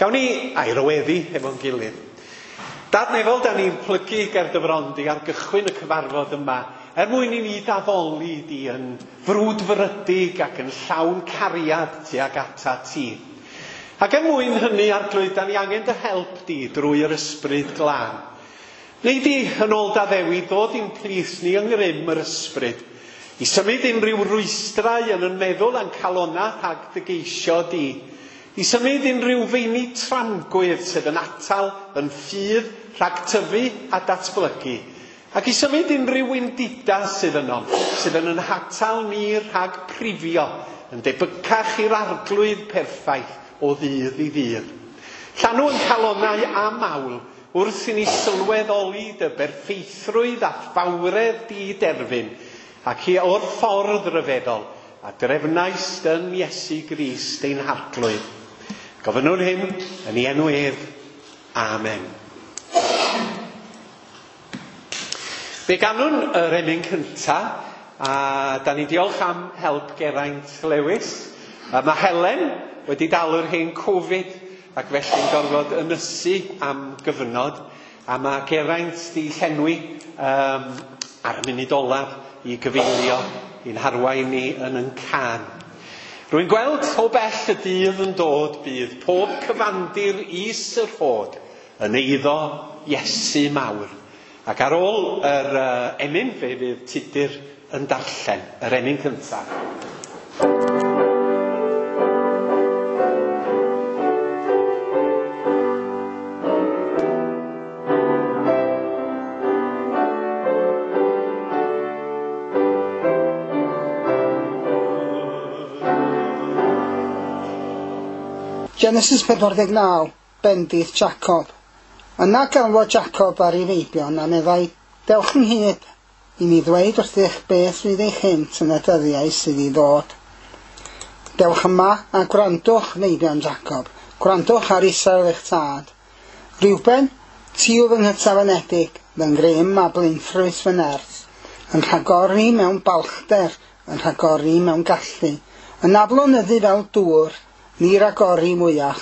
Gawn ni air o weddi efo'n gilydd. Dad nefol, da ni'n plygu ger dy fron di ar gychwyn y cyfarfod yma, er mwyn i ni d'addoli di yn frwdfrydig ac yn llawn cariad tuag ata ti. Ac er mwyn hynny, Arglwydd, da ni angen dy help di drwy yr Ysbryd Glân. Neu di, yn ôl d'addewid, ddod i'n plith ni yng ngrym yr Ysbryd, i symud unrhyw rwystrau yn yn meddwl a'n calonnau rhag dy geisio di, i symud unrhyw feini tramgwydd sydd yn atal yn ffydd rhag tyfu a datblygu, ac i symud unrhyw wendidau sydd yno, sydd yn yn hatal ni rhag prifio, yn debycach i'r Arglwydd perffaith o ddydd i ddydd. Llanw yn calonnau a mawl, wrth i ni sylweddoli dy berffeithrwydd a fawredd di derfyn, ac i o'r ffordd ryfeddol a drefnaist yn Iesu Grist ein Harglwydd. Gofynnwn hyn yn ei enw ef. Amen. Fe ganwn yr emyn cynta, a da ni'n diolch am help Geraint Lewis. A mae Helen wedi dal yr hen Covid ac felly'n gorfod ynysu am gyfnod, a mae Geraint di llenwi ar y munud olaf i gyfeilio i'n harwain ni yn yn cân. Rwy'n gweld o bell y dydd yn dod, bydd pob cyfandir is yr rhod yn eiddo Iesu mawr. Ac ar ôl yr emyn, fe fydd Tudur yn darllen yr emyn cyntaf. Genesis 49, bendith Jacob. Yna galwodd Jacob ar ei feibion a meddai, Dewch ynghyd i mi ddweud wrthych beth fydd eich hynt yn y dyddiau sydd i ddod. Dewch yma a gwrandwch, meibion Jacob, gwrandwch ar Israel eich tad. Reuben, ti yw fy nghytaf-anedig, fy ngrym a blaenffrwyth fy nerth, yn rhagori mewn balchder, yn rhagori mewn gallu, yn aflonyddu fel dŵr, ni ragori mwyach,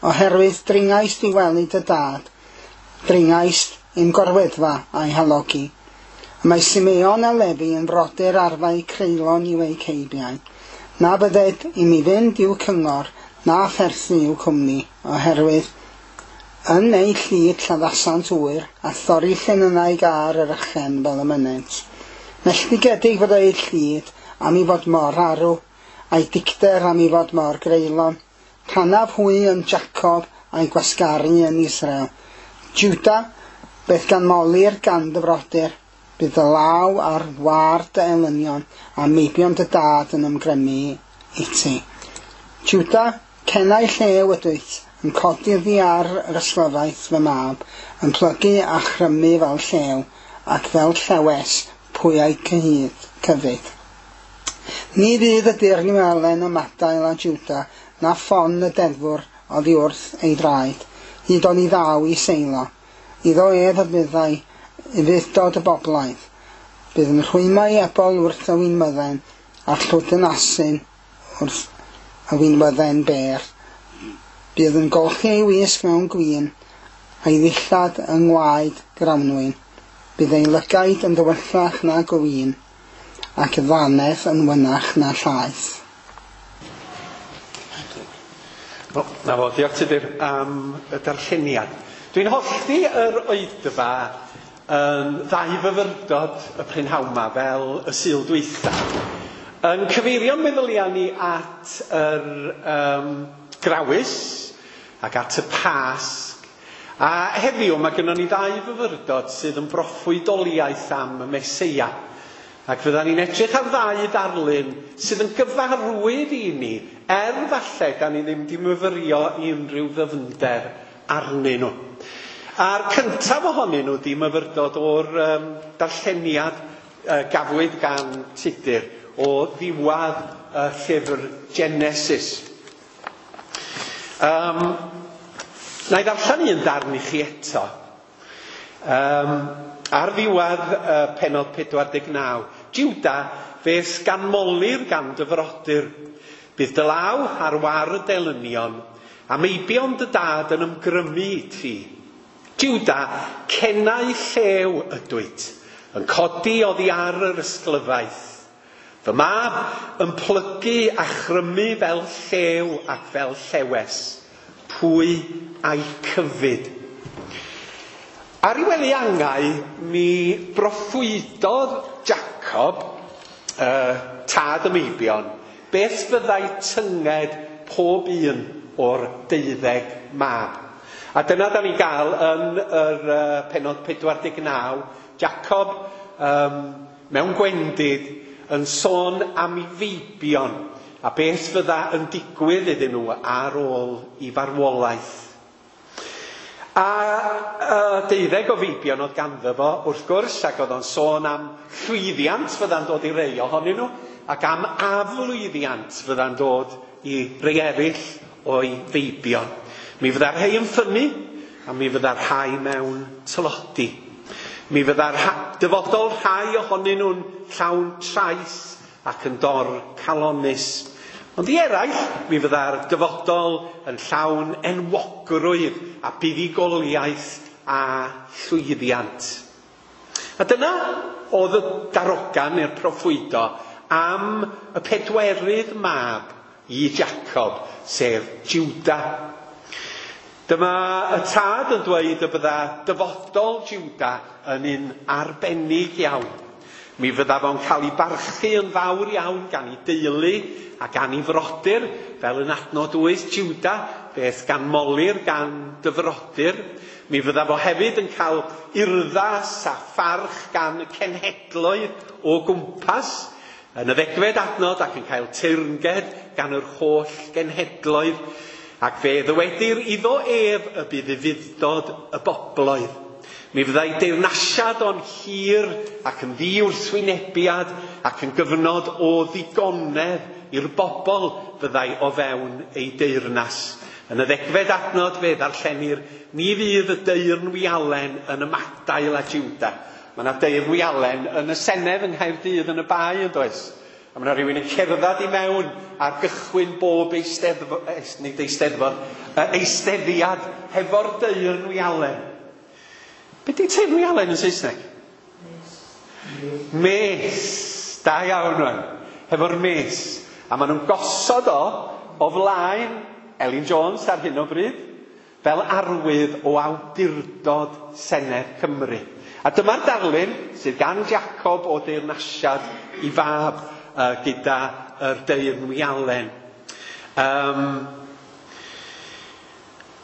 oherwydd dringaist i wely dy dad, dringaist i'm gorweddfa a'i halogi. Y mae Simeon a Lefi yn frodyr arfau creulon i'w eu ceibiau. Na bydded i mi fynd i'w cyngor, na pherthyn i'w cwmni, oherwydd yn eu llid lladdasant ŵyr, a thorri llinynau gar yr ychen fel y mynent. Melltigedig fod eu llid am i fod mor arw, a'i dicter am i fod mor greulon. Rhannaf hwy yn Jacob a'i gwasgaru yn Israel. Juda, beth ganmolir gan dy frodyr, bydd dy law ar war dy elynion, a meibion dy dad yn ymgrymu i ti. Juda, cenau llew ydwyt, yn codi oddi ar yr ysglyfaeth fy mab, yn plygu a chrymu fel llew, ac fel llewes pwy a'i cyhyd, cyfyd. Ni fydd y dirnywelen ymadael â Juda, na ffon y deddfwr oddi wrth ei draed, hyd oni ddaw i Seilo. Iddo ef y byddai ufudd-dod y boblaidd. Bydd yn rhwymau ebol wrth y winwydden, a llwydyn asyn wrth y winwydden bêr. Bydd yn golchi ei wisg mewn gwin, a'i ddillad yng ngwaed grawnwin. Bydd ei lygaid yn dywyllach na gwin, ac y ddanedd yn wynach na llaeth. O, na fo, diolch Tudur am y darlleniad. Dwi'n hollti yr oedfa yn ddau fyfyrdod y prynhawn 'ma fel y Sul dwytha. Yn cyfeirio'n meddyliau ni at yr grawys ac at y Pasg. A heddiw mae gynnon ni ddau fyfyrdod sydd yn broffwydoliaeth am y Meseia. Ac fyddan ni'n edrych ar ddau ddarlun sydd yn gyfarwydd i ni, er falle da ni ddim di myfyrio i unrhyw ddyfnder arnyn nhw. A'r cyntaf ohonyn nhw di myfyrdod o'r darlleniad gafwyd gan Tudur o ddiwedd y llyfr Genesis. Na i ddarllen un darn i chi eto. Ar ddiwedd pennod 49, Juda, fe'th ganmolir gan dy frodyr. Bydd dy law ar war y delynion, A meibion dy dad yn ymgrymu i ti. Juda, cenau llew ydwyt, yn codi oddi ar yr ysglyfaeth. Fy mab yn plygu a chrymu fel llew ac fel llewes. Pwy a'i cyfyd? Ar ei wely angau, mi broffwydodd Jacob, tad y meibion, beth fyddai tynged pob un o'r 12 mab. A dyna da ni'n gael yn yr pennod 49, Jacob mewn gwendid yn sôn am ei feibion a beth fydda yn digwydd iddyn nhw ar ôl i farwolaeth. A 12 o feibion oedd ganddo fo, wrth gwrs, ac oedd o'n sôn am llwyddiant fydda'n dod i rei ohonyn nhw, ac am aflwyddiant fydda'n dod i rei eraill o'i feibion. Mi fydda'r rhai yn ffynnu, a mi fydda'r rhai mewn tlodi. Mi fydda'r dyfodol rhai ohonyn nhw'n llawn trais ac yn dor calonus. Ond i eraill, mi fydda'r dyfodol yn llawn enwogrwydd a buddugoliaeth a llwyddiant. A dyna oedd y darogan neu'r proffwydo am y pedwerydd mab i Jacob, sef Juda. Dyma y tad yn dweud y bydda dyfodol Juda yn un arbennig iawn. Mi fydda fo'n cael ei barchu yn fawr iawn gan ei deulu a gan ei frodyr, fel yn adnod 8 Juda, beth ganmolir gan dy frodyr. Mi fydda fo hefyd yn cael urddas a pharch gan y cenhedloedd o gwmpas yn y 10fed adnod ac yn cael teyrnged gan yr holl genhedloedd. Ac fe ddywedir iddo ef y bydd ufudd-dod y bobloedd. Mi fyddai deyrnasiad o'n hir ac yn ddi-wrthwynebiad ac yn gyfnod o ddigonedd i'r bobl fyddai o fewn ei deyrnas. Yn y 10fed adnod fe ddarllenir, ni fydd y deyrnwialen yn ymadael â Juda. Mae yna deyrnwialen yn y Senedd yng Nghaerdydd yn y Bae, yn does? A mae yna rhywun yn cerdded i mewn ar gychwyn bob eisteddfod, nid eisteddfod, eisteddiad hefo'r deyrnwialen. Be di teyrnwialen yn Saesneg? Mes. Da iawn rwan. Hefo'r mes. A maen nhw'n gosod o flaen Elin Jones ar hyn o bryd fel arwydd o awdurdod Senedd Cymru. A dyma'r darlun sydd gan Jacob o deyrnasiad i fab gyda yr deyrnwialen.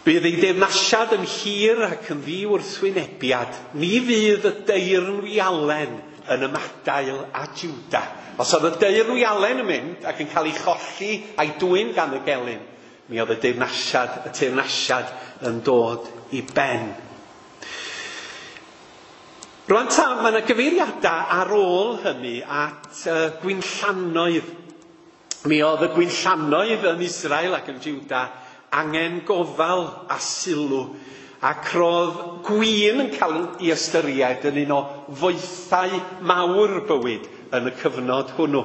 Bydd ei deyrnasiad yn hir ac yn ddi-wrthwynebiad. Ni fydd y deyrnwialen yn ymadael â Juda. Os oedd y deyrnwialen yn mynd ac yn cael ei cholli a'i dwyn gan y gelyn, mi oedd y teyrnasiad yn dod i ben. Rwan ta, mae yna gyfeiriadau ar ôl hynny at gwinllannoedd. Mi oedd y gwinllannoedd yn Israel ac yn Juda angen gofal a sylw, ac roedd gwin yn cael ei ystyried yn un o foethau mawr bywyd yn y cyfnod hwnnw.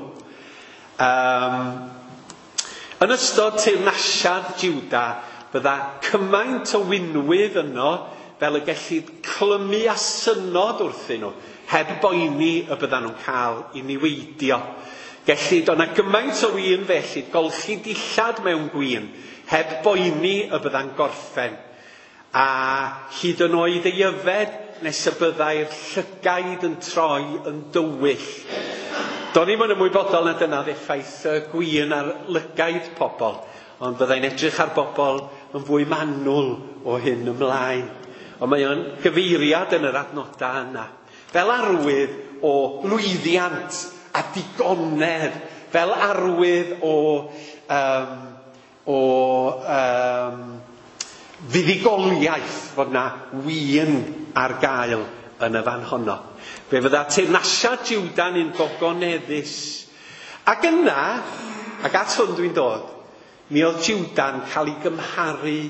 Yn ystod teyrnasiad Juda, bydda cymaint o winwydd yno fel y gellid clymu a synod wrthyn nhw, heb boeni y byddan nhw'n cael ei niweidio. Gellid, o'na gymaint o win felly, golchi dillad mewn gwin, heb boeni y bydda'n gorffen. A hyd yn oed ei yfed nes y byddai'r llygaid yn troi yn dywyll. Do'n i'm yn ymwybodol na dyna effaith y gwin ar lygaid pobl, ond byddai'n edrych ar bobl yn fwy manwl o hyn ymlaen. Ond mae o'n gyfeiriad yn yr adnodau yna. Fel arwydd o lwyddiant a digonedd, fel arwydd o fuddugoliaeth fod na win ar gael yn y fan honno. Fe fydda teyrnasiad Juda'n un gogoneddus. Ac yna, ac at hwn dwi'n dod, mi oedd Juda'n cael ei gymharu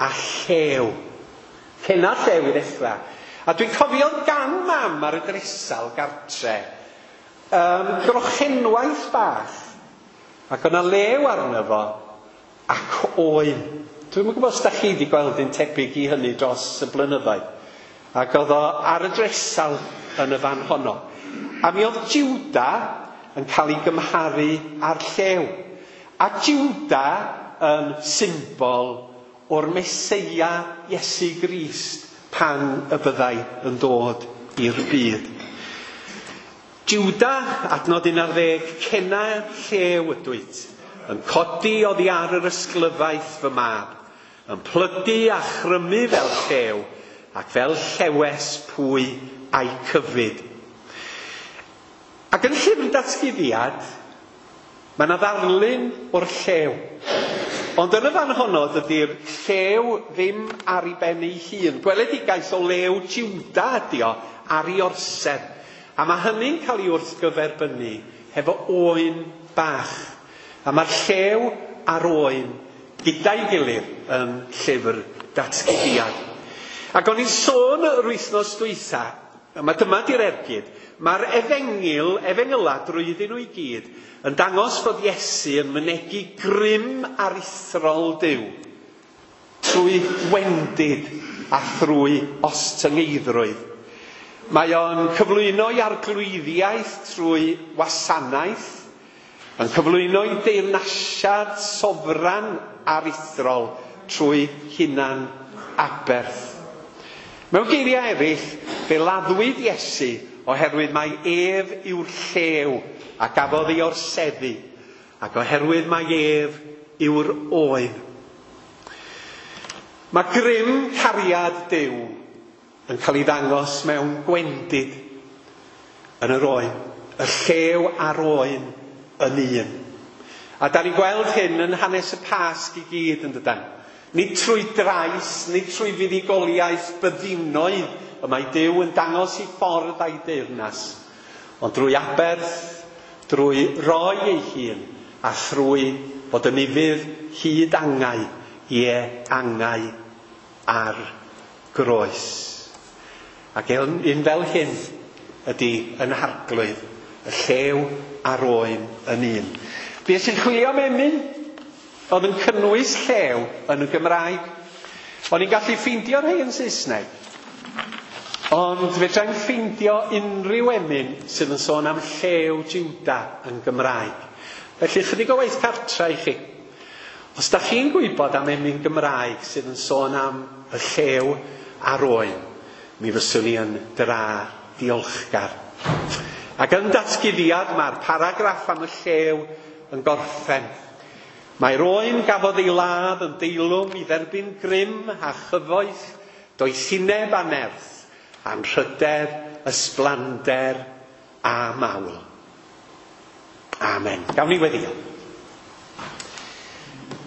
â llew. Cenna llew i ddechrau. A dwi'n cofio gan mam ar y dresal gartre, grochenwaith bach, ac o'na lew arno fo, ac oen. Dwi'm yn gwybod os da chi wedi gweld un tebyg i hynny dros y blynyddoedd. Ac oedd o ar y dresal yn y fan honno. A mi oedd Juda yn cael ei gymharu â'r llew. A Juda yn symbol o'r Meseia Iesu Grist pan y byddai yn dod i'r byd. Juda, adnod 11, cena llew ydwyt, yn codi oddi ar yr ysglyfaeth fy mab, yn plygu a chrymu fel llew, ac fel llewes pwy a'i cyfyd. Ac yn llyfr datguddiad, mae yna ddarlun o'r llew. Ond yn y fan honno, dydy'r llew ddim ar ei ben ei hun. Gweledigaeth o lew Juda ydi o ar ei orsedd. A mae hynny'n cael ei wrthgyferbynnu hefo oen bach. A mae'r llew a'r oen gyda'i gilydd yn llyfr datguddiad. Ac o'n i'n sôn yr wythnos dwytha, mae dyma di'r ergyd, mae'r efengyl, efengyla drwyddyn nhw i gyd, yn dangos fod Iesu yn mynegi grym aruthrol Duw trwy wendid a thrwy ostyngeiddrwydd. Mae o'n cyflwyno i arglwyddiaeth trwy wasanaeth, yn cyflwyno i deyrnasiad sofran aruthrol trwy hunan aberth. Mewn geiriau eraill, fe laddwyd Iesu oherwydd mai ef yw'r llew a gafodd ei orseddu, ac oherwydd mai ef yw'r oen. Mae grym cariad Duw yn cael ei ddangos mewn gwendid yn yr oen, y llew a'r oen yn un. A da ni'n gweld hyn yn hanes y Pasg i gyd yn dydan. Nid trwy drais, nid trwy fuddugoliaeth byddinoedd y mae Duw yn dangos ei ffordd a'i deyrnas, ond drwy aberth, drwy roi ei hun, a thrwy fod yn ufudd hyd angau, ie angau ar groes. Ac un fel hyn ydy yn harglwydd, y llew a'r oen yn un. Fues i'n chwilio am emyn oedd yn cynnwys llew yn y Gymraeg. O'n i'n gallu ffeindio rhai yn Saesneg, ond fedrai'm ffeindio unrhyw emyn sydd yn sôn am llew Juda yn Gymraeg. Felly chydig o waith cartra i chi. Os da chi'n gwybod am emyn Gymraeg sydd yn sôn am y llew a'r oen, mi fyswn i yn dra diolchgar. Ac yn datguddiad mae'r paragraff am y llew yn gorffen. Mae'r oen gafodd ei ladd yn deilwng i dderbyn grym a chyfoeth, doethineb a nerth, anrhydedd, ysblander a mawl. Amen. Gawn ni weddio.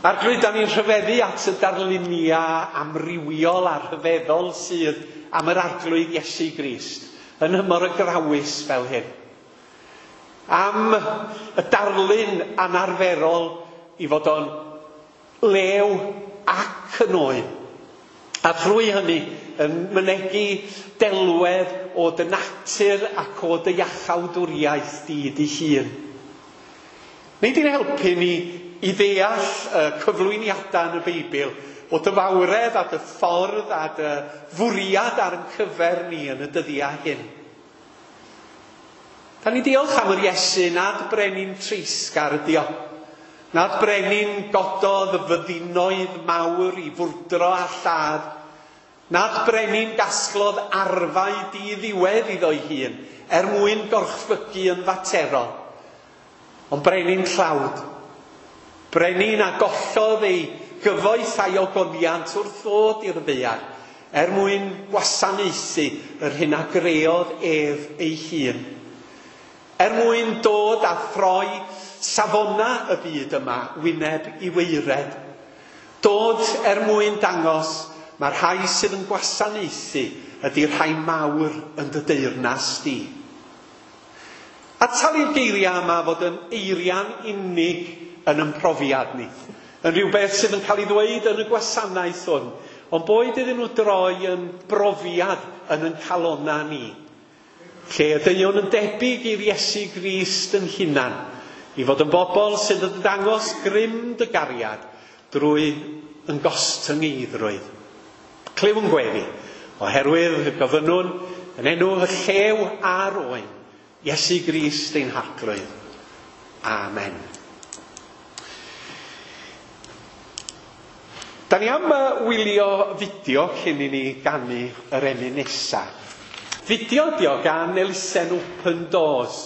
Arglwydd, da ni'n rhyfeddu at y darluniau amrywiol a rhyfeddol sydd am yr Arglwydd Iesu Grist yn nhymor y grawys fel hyn. Am y darlun anarferol i fod o'n lew ac yn oen. A thrwy hynny yn mynegi delwedd o dy natur ac o dy iachawdwriaeth di dy hun. Nei di'n helpu ni i ddeall y cyflwyniadau yn y Beibl o dy fawredd a dy ffordd a dy fwriad ar yn cyfer ni yn y dyddiau hyn. Da ni diolch am yr Iesu nad brenin treisgar ydi o. Nad brenin gododd y fyddinoedd mawr i fwrdro a lladd. Nad brenin gasglodd arfau di-ddiwedd iddo'i hun er mwyn gorchfygu yn faterol. Ond brenin tlawd. Brenin a gollodd ei gyfoeth a'i ogoniant wrth ddod i'r ddaear er mwyn gwasanaethu yr hyn a greodd ef ei hun. Er mwyn dod a throi safona y byd yma wyneb i waered. Dod er mwyn dangos mae'r rhai sydd yn gwasanaethu ydy'r rhai mawr yn dy deyrnas di. A talu'r geiriau yma fod yn eiriau'n unig yn ymprofiad ni. Yn rhywbeth sydd yn cael ei ddweud yn y gwasanaeth hwn, ond boed iddyn nhw droi yn brofiad yn yn calonna ni. Lle ydywn yn debyg i'r Iesu Grist yn hunan, i fod yn bobl sydd yn dangos grym dy gariad drwy yn gostyngeiddrwydd. Clyw yn gweddi, oherwydd gofynnwn yn enw y llew a'r oen, Iesu Grist ein Harglwydd. Amen. Da ni am wylio fideo cyn i ni ganu yr emyn nesa. Fideo ydi o gan elusen Open Doors.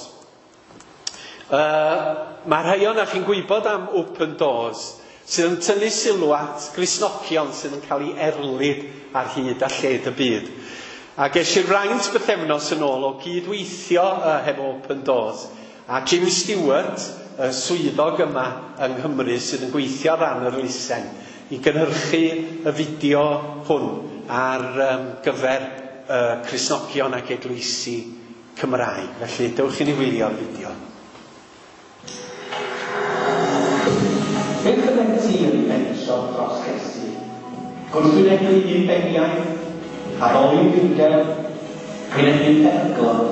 Mae rhai ohonoch chi'n gwybod am Open Doors, sydd yn tynnu sylw at Gristnogion sydd yn cael ei erlid ar hyd a lled y byd. A ges i'r fraint bythefnos yn ôl o gydweithio hefo Open Doors a Jim Stewart, y swyddog yma yng Nghymru sydd yn gweithio ar ran yr elusen, i gynhyrchu y fideo hwn ar gyfer Cristnogion ac eglwysi Cymraeg. Felly, dewch i ni wylio'r fideo. Beth fyddet ti yn ei fentro dros Iesu? Gwrthwynebu unbeniaeth, addoli dirgel, wynebu peryglon.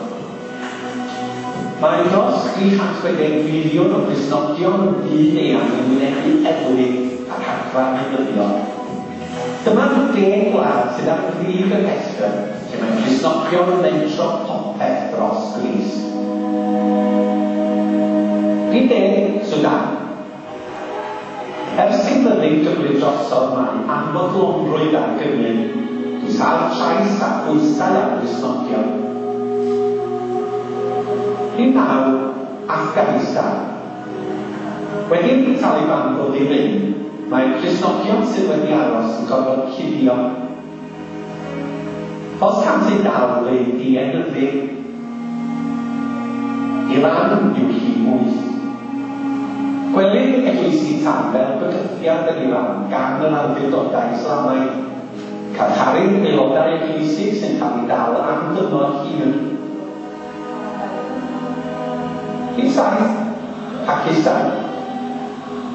Mae dros 360 miliwn o Gristnogion yn byd eang yn wynebu erlid ac adfa weinyddion. Dyma'r 10 gwlad sydd ar frig y rhestr lle mae Cristnogion yn mentro popeth dros Grist. Rhif 10, Sudan. Ers i fyddin gymryd drosodd mae anfodlonrwydd ar gynnydd, dwysâd trais a phwysau ar Gristnogion. Rhif 9, Afghanistan. Wedi i'r Taliban ddod i rym, mae'r Cristnogion sydd wedi aros yn gorfod cuddio. Os cânt eu dal eu dienyddu, Iran yw rhif 8. Gwelir eglwysi tân fel bygythiad yn Iran gan yr awdurdodau Islamaidd. Carcharir aelodau eglwysig sy'n cael eu dal am dymor hir. Rhif 7, Pakistan.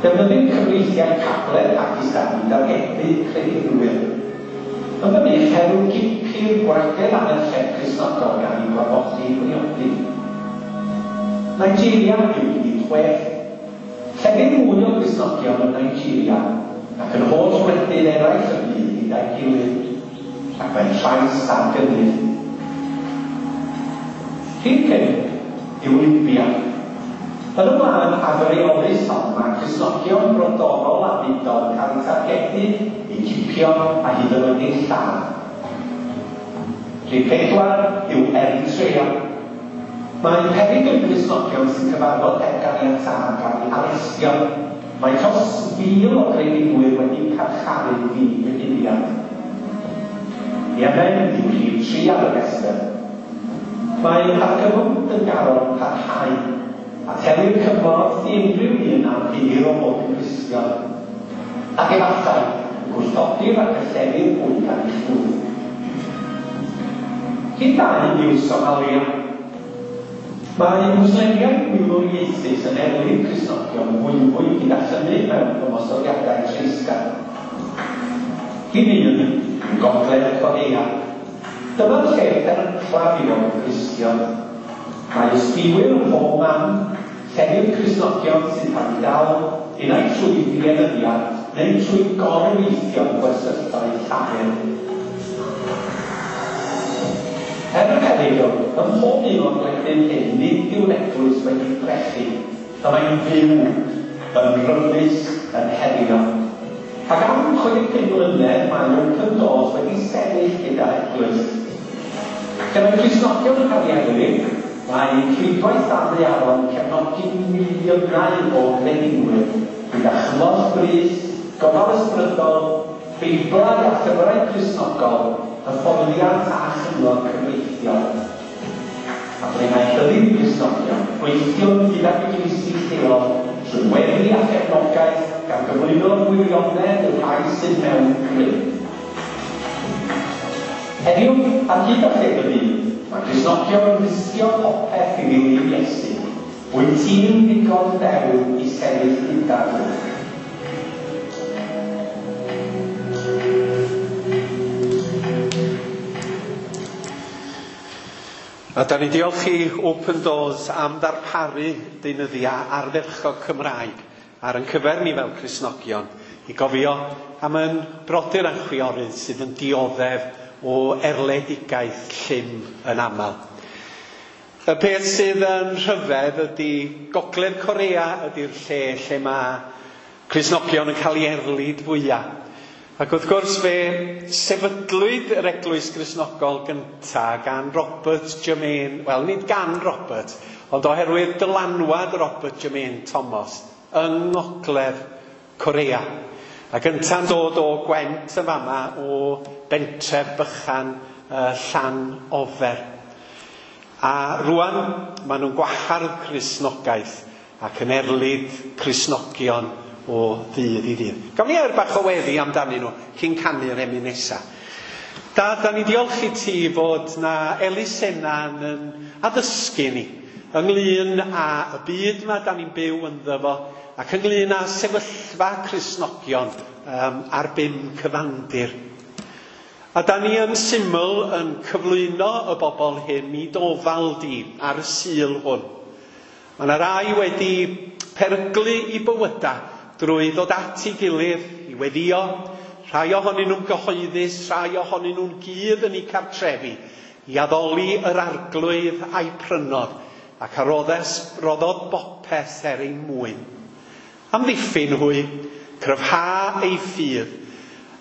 Defnyddir cyfreithiau cabledd Pakistan i dargedu credinwyr. Yn fynych, herw gipir gwragedd a merched Cristnogol gan eu gorfodi i briodi. Nigeria yw rhif 6. Llefydd mwy o Gristnogion yn Nigeria ac yn holl wledydd eraill y byd gyda'i gilydd, ac mae'n trais ar gynnydd. Rhif 5 yw Libya. Yn y wlad afreolus hon, mae Cristnogion brodorol a mudol yn cael eu targedu, eu cipio a hyd yn oed eu lladd. Rhif 4 yw Eritrea. Mae peryg y Cristnogion sy'n cyfarfod heb ganiatâd gael eu harestio. Mae dros 1,000 o gredinwyr wedi carcharu ddi-gyhuddiad. Yemen yw rhif 3 ar y rhestr. Mae argyfwng dyngarol yn parhau, a telir cymorth i unrhyw un am hir o fod yn Gristion, ac efallai y gwrthodir ac y llenir hwy gan eu llwyth. Rhif 2 yw Somalia. Mae Mwslemiaid milwriaethus yn erlid Cristnogion fwyfwy gyda chynnydd mewn ymosodiadau treisgar. Rhif 1 yw Gogledd Corea. Dyma'r lle peryclaf i fod yn Gristion. Mae ysbiwyr ym mhob man, llefydd Cristnogion sy'n cael eu dal, unai trwy ddienyddiad neu trwy gorweithio yn gwersylloedd llafur. Er y perygl, ym mhob un o'r gwledydd hyn nid yw'r eglwys wedi brechu, y mae'n fyw, yn rymus, yn herio. Ac am 65 mlynedd mae Open Doors wedi sefyll gyda'r eglwys. Lle mae Cristnogion yn cael eu erlid, mae rhwydwaith ddadleuol yn cefnogi miliynau o gredinwyr gyda chymorth brys, gofal ysbrydol, Beiblau a llyfrau Cristnogol, hyfforddiant a chyngor cyfreithiol. A ble mae rhyddid i Gristnogion, gweithio gydag eglwysi lleol trwy weddi a chefnogaeth gan gyflwyno'r gwirionedd i'r rhai sydd mewn grym. Heddiw, ar hyd a lled y byd, mae Cristnogion yn risgio popeth i ddilyn Iesu. Wyt ti'n ddigon dewr i sefyll gyda nhw? A da ni'n diolch i Open Doors am ddarparu deunyddiau ardderchog Cymraeg ar ein cyfer ni fel Cristnogion i gofio am yn brodyr a'n chwiorydd sydd yn dioddef o erledigaeth llym yn aml. Y peth sydd yn rhyfedd ydy Gogledd Corea ydy'r lle lle mae Cristnogion yn cael ei erlid fwyaf. Ac wrth gwrs fe sefydlwyd yr Eglwys Gristnogol gyntaf gan Robert Jermaine, wel nid gan Robert, ond oherwydd dylanwad Robert Jermaine Thomas yng Ngogledd Corea. Ac ynta'n dod o Gwent yn fama o bentref bychan Llanofer. A rwan maen nhw'n gwahardd Cristnogaeth ac yn erlid Cristnogion o ddydd i ddydd. Gawn ni air bach o weddi amdanyn nhw cyn canu'r emyn nesa. Dad, da ni diolch i ti fod na elusenna'n yn addysgu ni ynglyn â y byd yma da ni'n byw ynddo fo ac ynglyn â sefyllfa Cristnogion ar bum cyfandir. A da ni yn syml yn cyflwyno y bobl hyn i d'ofal di ar y Sul hwn. Mae yna rai wedi peryglu i bywyda drwy ddod at ei gilydd i weddio, rhai ohonyn nhw'n gyhoeddus, rhai ohonyn nhw'n gudd yn eu cartrefi, i addoli yr Arglwydd a'i prynodd, ac a roddodd bopeth er ei mwyn. Amddiffyn hwy, cryfha ei ffydd,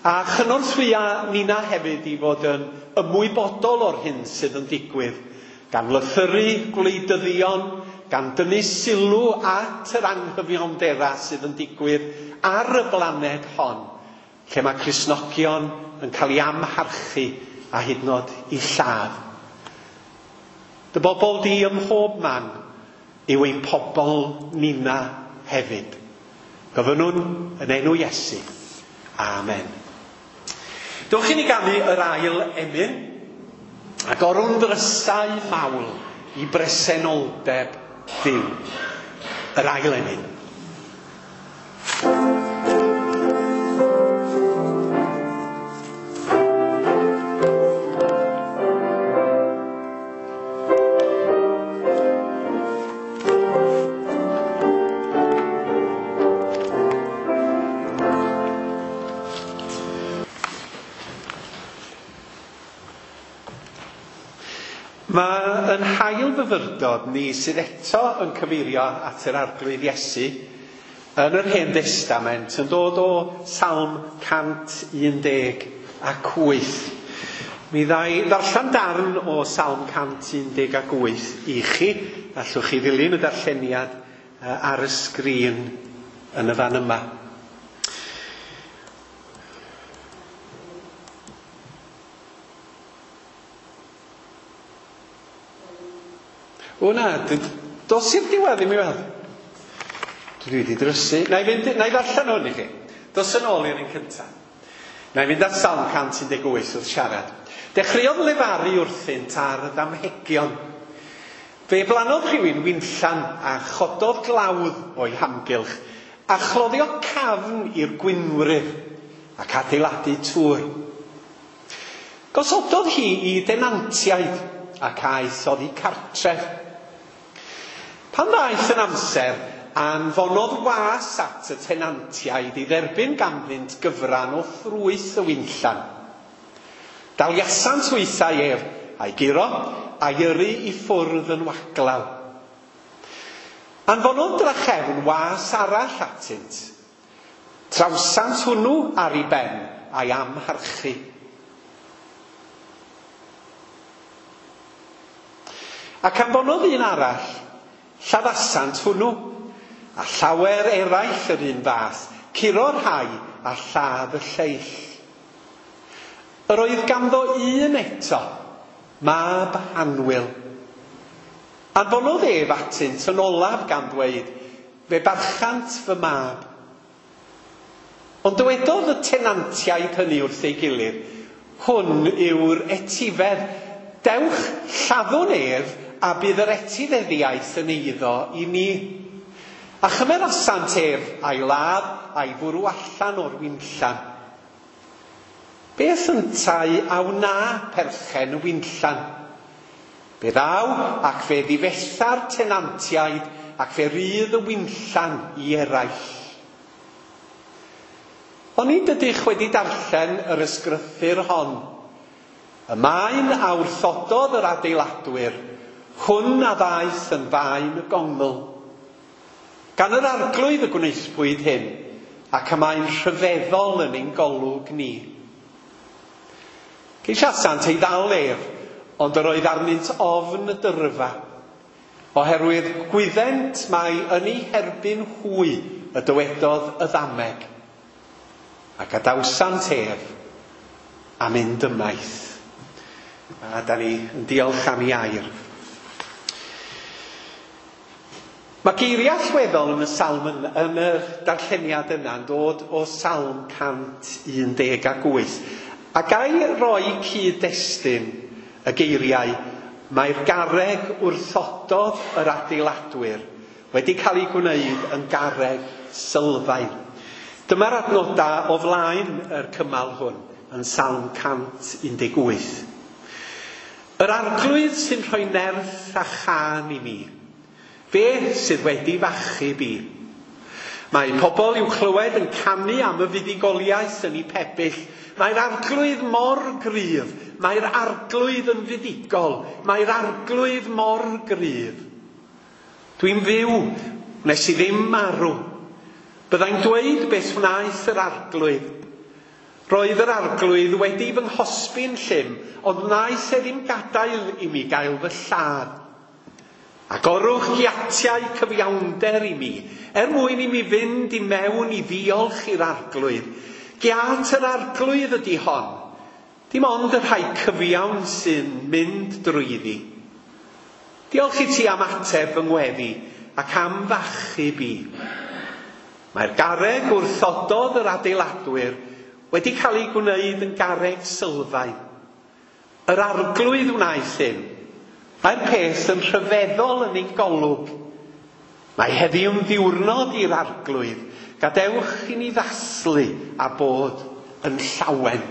a chynorthwya nina hefyd i fod yn ymwybodol o'r hyn sydd yn digwydd, gan lythyru gwleidyddion, gan dynnu sylw at yr anghyfiawndera sydd yn digwydd ar y blaned hon, lle mae Cristnogion yn cael ei amharchu a hyd yn oed i lladd. Dy bobl di ym mhob man yw ein pobl nina hefyd. Gofynnwn yn enw Iesu. Amen. Dewch i ni ganu yr ail emyn, agorwn ddrysau mawl i bresenoldeb Duw. Yr ail emyn. Mae yn hail fyfyrdod ni sydd eto yn cyfeirio at yr Arglwydd Iesu yn yr Hen Destament yn dod o Salm 118. Mi ddai ddarllen darn o Salm 118 i chi. Allwch chi ddilyn y darlleniad ar y sgrin yn y fan yma. O na, dos i'r diwedd ddim i weld. Dwi wedi drysu. Na i ddarllen hwn i chi. Dos yn ôl i'r un cyntaf. Na i fynd at Salm 118 wrth siarad. Dechreuodd lefaru wrthynt ar y damhegion. Fe blannodd rhywun winllan a chododd glawdd o'i hamgylch a chloddio cafn i'r gwinwrydd ac adeiladu tŵr. Gosododd hi i denantiaid ac aeth oddi cartref. Pan ddaeth yn amser, anfonodd was at y tenantiaid i dderbyn ganddynt gyfran o ffrwyth y winllan. Daliasant hwythau ef, a'i guro, a'i yrru i ffwrdd yn waglaw. Anfonodd drachefn was arall atynt. Trawsant hwnnw ar ei ben, a'i amharchu. Ac anfonodd un arall, lladdasant hwnnw, a llawer eraill yr un fath, curo'r rhai a lladd y lleill. Yr oedd ganddo un eto, mab annwyl. Anfonodd ef atynt yn olaf gan ddweud, fe barchant fy mab. Ond dywedodd y tenantiaid hynny wrth ei gilydd, hwn yw'r etifedd, dewch lladdwn ef a bydd yr etifeddiaeth yn eiddo i ni. A chymerasant ef a'i ladd a'i fwrw allan o'r winllan. Beth yntau a wna perchen y winllan? Fe ddaw ac fe ddifetha'r tenantiaid ac fe rydd y winllan i eraill. Onid ydych wedi darllen yr ysgrythur hon? Y maen a wrthododd yr adeiladwyr, hwn a ddaeth yn faen y gongl. Gan yr Arglwydd y gwnaethpwyd hyn, ac y mae'n rhyfeddol yn ein golwg ni. Ceisiasant ei ddal ef, ond yr oedd arnynt ofn y dyrfa, oherwydd gwyddent mai yn ei herbyn hwy y dywedodd y ddameg. A gadawsant ef a mynd ymaith. A da ni yn diolch am ei air. Mae geiriau allweddol yn y salm yn, yn yr darlleniad yna yn dod o Salm 118. A gai roi cyd-destun y geiriau, mae'r garreg wrthododd yr adeiladwyr wedi cael ei gwneud yn garreg sylfaen. Dyma'r adnodau o flaen yr cymal hwn yn Salm 118. Yr Arglwydd sy'n rhoi nerth a chân i mi. Fe sydd wedi fachub i. Mae pobl i'w clywed yn canu am y fuddugoliaeth yn eu pebyll. Mae'r Arglwydd mor gryf. Mae'r Arglwydd yn fuddugol. Mae'r Arglwydd mor gryf. Dwi'n fyw, wnes i ddim marw. Byddai'n dweud beth wnaeth yr Arglwydd. Roedd yr Arglwydd wedi fy nghosbi'n llym, ond wnaeth e ddim gadael i mi gael fy lladd. Agorwch giatiau cyfiawnder i mi, er mwyn i mi fynd i mewn i ddiolch i'r Arglwydd. Giat yr Arglwydd ydy hon. Dim ond y rhai cyfiawn sy'n mynd drwyddi. Diolch i ti am ateb fy ngweddi ac am fachub i. Mae'r garreg wrthododd yr adeiladwyr wedi cael ei gwneud yn garreg sylfaen. Yr Arglwydd wnaeth hyn. Mae'r peth yn rhyfeddol yn ein golwg. Mae heddiw'n ddiwrnod i'r Arglwydd. Gadewch i ni ddathlu a bod yn llawen.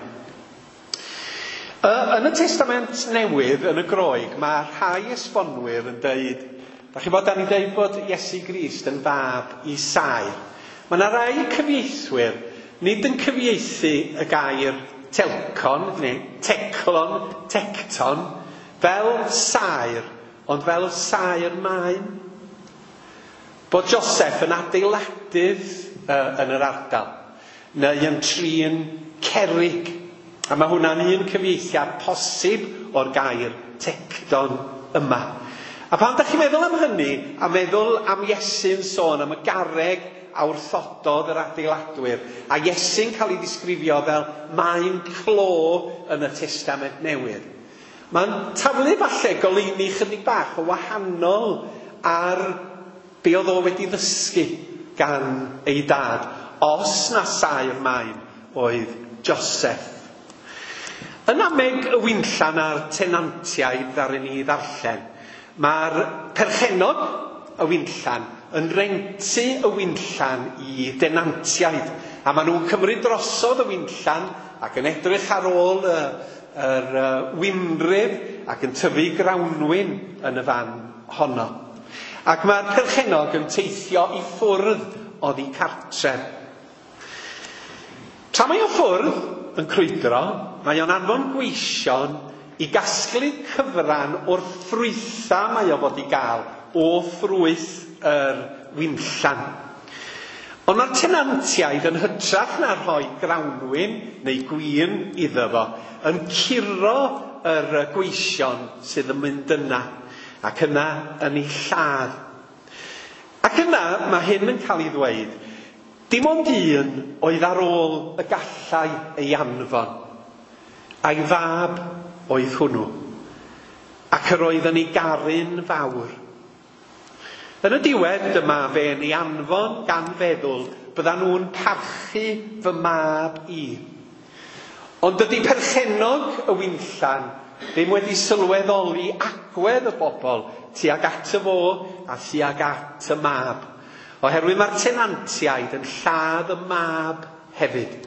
Yn y Testament Newydd, yn y Groeg, mae rhai esbonwyr yn deud, da chi bod, da ni'n deud bod Iesu Grist yn fab i saer. Mae yna rai cyfieithwyr nid yn cyfieithu y gair telcon, neu teclon, tecton, fel saer, ond fel saer maen. Bod Joseph yn adeiladydd yn yr ardal, neu yn trin cerrig. A mae hwnna'n un cyfieithiad posib o'r gair tecton yma. A pan da chi'n meddwl am hynny, a meddwl am Iesu'n sôn am y garreg a wrthododd yr adeiladwyr, a Iesu'n cael ei ddisgrifio fel maen clo yn y Testament Newydd, mae'n taflu falle goleuni chydig bach o wahanol ar be oedd o wedi ddysgu gan ei dad, os na saer maen oedd Joseph. Yn ameg y winllan a'r tenantiaid ddaru ni ddarllen, mae'r perchennog y winllan yn rentu y winllan i denantiaid, a maen nhw'n cymryd drosodd y winllan ac yn edrych ar ôl yr winrydd ac yn tyfu grawnwin yn y fan honno. Ac mae'r perchennog yn teithio i ffwrdd oddi cartref. Tra mae o ffwrdd yn crwydro, mae o'n anfon gweision i gasglu cyfran o'r ffrwytha mae o fod i gael o ffrwyth yr winllan. Ond mae'r tenantiaid yn hytrach na rhoi grawnwin neu gwin iddo fo, yn curo yr gweision sydd yn mynd yna, ac yna yn ei lladd. Ac yna mae hyn yn cael ei ddweud, dim ond un oedd ar ôl y gallai ei anfon, a'i fab oedd hwnnw, ac yr oedd yn ei garu'n fawr. Yn y diwedd dyma fe'n ei anfon gan feddwl byddan nhw'n parchu fy mab i. Ond dydy perchennog y winllan ddim wedi sylweddoli agwedd y bobl tuag at y fo a tuag at y mab. Oherwydd mae'r tenantiaid yn lladd y mab hefyd.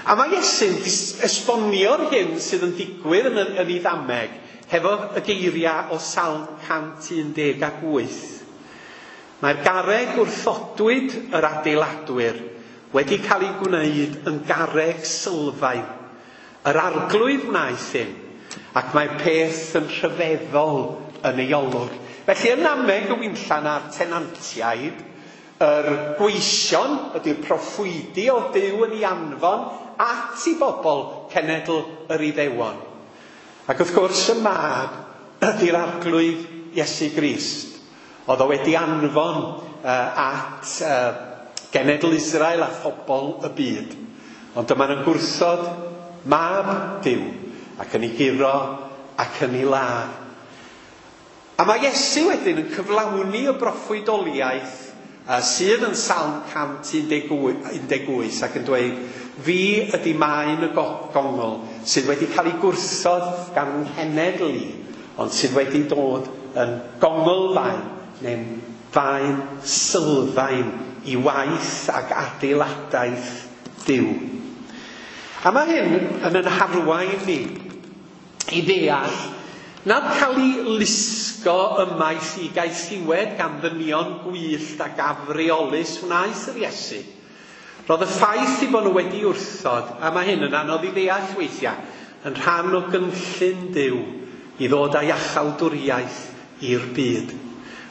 A mae Iesu'n esbonio'r hyn sydd yn digwydd yn ei ddameg hefo y geiriau o Salm 118. Mae'r garreg wrthodwyd yr adeiladwyr wedi cael ei gwneud yn garreg sylfaen. Yr arglwydd wnaeth hyn, ac mae'r peth yn rhyfeddol yn ei olwg. Felly yn nameg y winllan a'r tenantiaid, yr gweision ydy'r proffwydi o Duw yn ei anfon at i bobl cenedl yr Iddewon. Ac wrth gwrs y mab ydy'r arglwydd Iesu Grist. Oedd o wedi anfon at genedl Israel a phobl y byd. Ond dyma nhw'n gwrthod mab Duw ac yn ei guro ac yn ei ladd. A mae Iesu wedyn yn cyflawni y broffwydoliaeth sydd yn Salm 118 ac yn dweud, fi ydy maen y gongl sydd wedi cael ei gwrthod gan nghenedl i, ond sydd wedi dod yn gongl faen, neu'n faen sylfaen i waith ac adeiladaeth Duw. A mae hyn yn yn harwain ni i ddeall nad cael ei lusgo ymaith i gaethiwed gan ddynion gwyllt ac afreolus wnaeth yr Iesu. Roedd y ffaith i bod nhw wedi wrthod, a mae hyn yn anodd i ddeall weithiau, yn rhan o gynllun Duw i ddod â iachawdwriaeth i'r byd.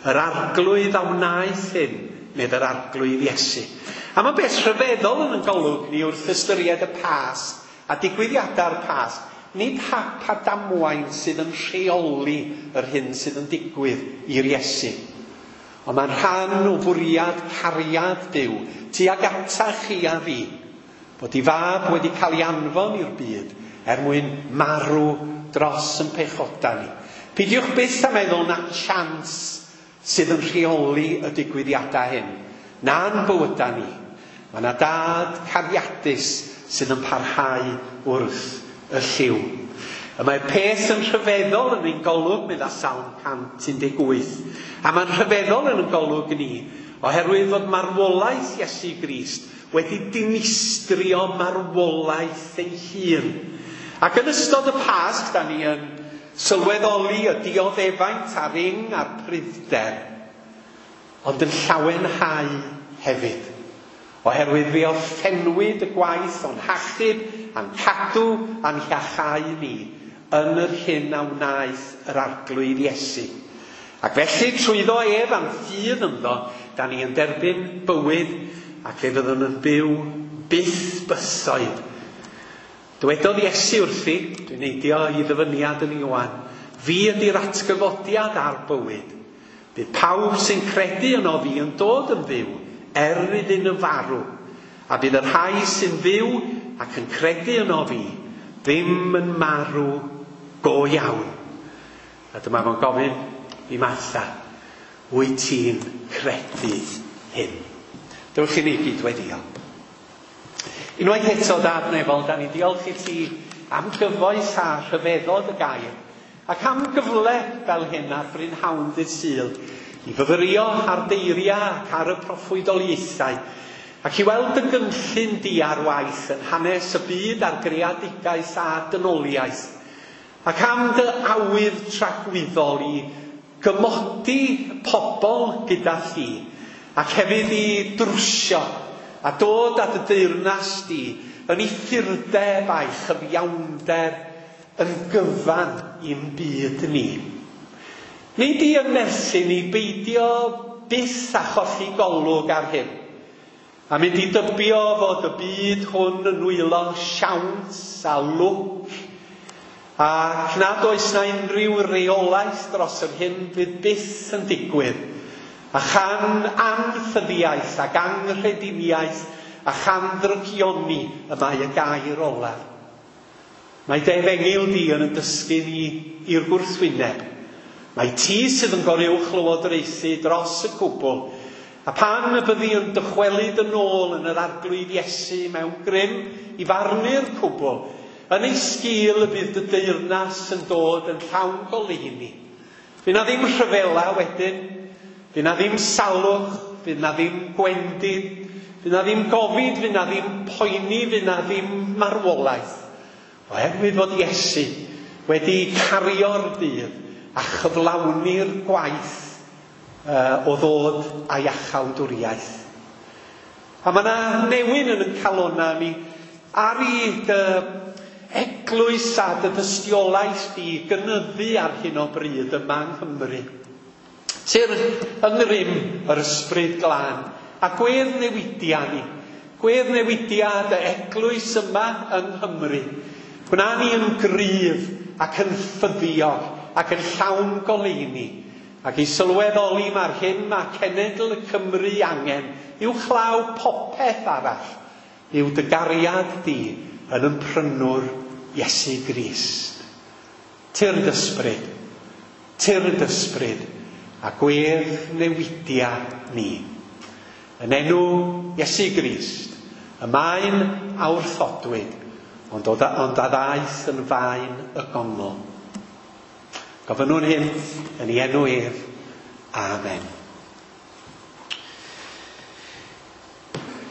Yr arglwydd a wnaeth hyn, medd yr arglwydd Iesu. A mae beth rhyfeddol yn y golwg ni wrth ystyried y Pasg a digwyddiadau'r Pasg. Nid hap a damwain sydd yn rheoli yr hyn sydd yn digwydd i'r Iesu. Ond mae'n rhan o fwriad cariad Duw tuag atach chi a fi, bod ei fab wedi cael ei anfon i'r byd er mwyn marw dros yn pechoda ni. Peidiwch byth â meddwl na chance sydd yn rheoli y digwyddiadau hyn, na'n bywyda ni. Mae yna dad cariadus sydd yn parhau wrth y lliw. Y mae'r peth yn rhyfeddol yn ein golwg, medda Salm 118. A mae'n rhyfeddol yn ein golwg ni, oherwydd fod marwolaeth Iesu Grist wedi dinistrio marwolaeth ei hun. Ac yn ystod y Pasg, da ni yn sylweddoli y dioddefaint a'r ing a'r pruddder, ond yn llawenhau hefyd. Oherwydd fe orffennwyd y gwaith o'n hachub a'n cadw a'n hiachau ni yn yr hyn a wnaeth yr arglwydd Iesu. Ac felly trwyddo ef a'n ffydd ynddo, da ni yn derbyn bywyd ac fe fyddwn yn byw byth bythoedd. Dywedodd Iesu wrthi, dwi'n neidio i ddyfyniad yn Ioan, fi ydy'r atgyfodiad a'r bywyd. Bydd pawb sy'n credu yno fi yn dod yn fyw, er iddyn nhw farw. A bydd y rhai sy'n fyw ac yn credu yno fi ddim yn marw go iawn. A dyma fo'n gofyn i Martha, wyt ti'n credu hyn? Dewch i ni gyd weddio. Unwaith eto, Dad Nefol, da ni diolch i ti am gyfoeth a rhyfeddod y gair, ac am gyfle fel hyn ar brynhawn dydd Sul i fyfyrio ar deiriau ac ar y proffwydoliaethau, ac i weld y gynllun di ar waith yn hanes y byd a'r greadigaeth a dynoliaeth, ac am dy awydd tragwyddol i gymodi pobl gyda thi, ac hefyd i drwsio a dod at y deyrnas di yn ei ffurdeb a'i chyfiawnder yn gyfan i'n byd ni. Nid i ymnerthu ni beidio byth a cholli golwg ar hyn, a mynd i dybio fod y byd hwn yn nwylo siawns a lwc, ac nad oes na unrhyw reolaeth dros yr hyn fydd byth yn digwydd, a chan anffyddiaeth ac anghrediniaeth a chan ddrygioni y mae y gair olaf. Mae dy efengyl di yn dysgu ni i'r gwrthwyneb. Mae ti sydd yn goruwch lywodraethu dros y cwbl, a pan y byddi yn dychwelyd yn ôl yn yr arglwydd Iesu mewn grym i farnu'r cwbl, yn ei sgil y bydd dy deyrnas yn dod yn llawn goleuni. Fydd na ddim rhyfela wedyn, fydd na ddim salwch, fydd na ddim gwendid, fydd na ddim gofid, fydd na ddim poeni, fydd na ddim marwolaeth. Oherwydd fod Iesu wedi cario'r dydd a chyflawni'r gwaith o ddod â iachawdwriaeth. A mae yna newyn yn y calona ni ar i dy eglwys a dy dystiolaeth di gynyddu ar hyn o bryd yma yng Nghymru. Tyr yng ngrym yr ysbryd glân a gwedd newidia ni. Gwedd newidia dy eglwys yma yng Nghymru. Gwna ni yn gryf ac yn ffyddiog ac yn llawn goleuni. Ac i sylweddoli mae'r hyn mae cenedl y Cymru angen uwchlaw popeth arall yw dy gariad di yn ymprynwr Iesu Grist. Tyrd ysbryd, tyrd ysbryd, a gwedd newidia ni. Yn enw Iesu Grist, y maen a wrthodwyd, ond a ddaeth yn faen y gongl. Gofynnwn hyn yn ei enw ef. Amen.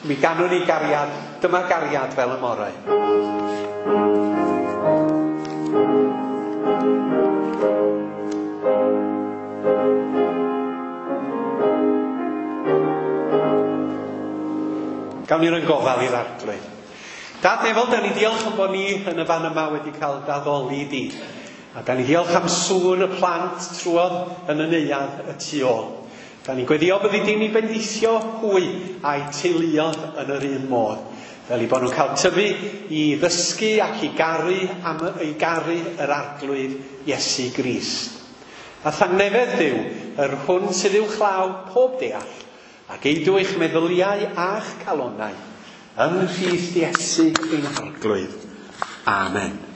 Mi ganwn ni gariad, dyma gariad fel y morau. Gawn ni roi gofal i'r Arglwydd. Dad nefol, da ni diolch am bod ni yn y fan yma wedi cael daddoli di. A da ni diolch am sŵn y plant trwodd yn y neuadd y tu ôl. Da ni'n gweddio byddi di'n ei bendithio hwy a'i teuluodd yn yr un modd. Fel i bod nhw'n cael tyfu i ddysgu ac i garu, am, i garu yr Arglwydd Iesu Grist. A thangnefedd Duw, yr hwn sydd uwchlaw pob deall, ac eidw eich meddyliau a'ch calonau, yng Nghrist Iesu ein Harglwydd. Amen.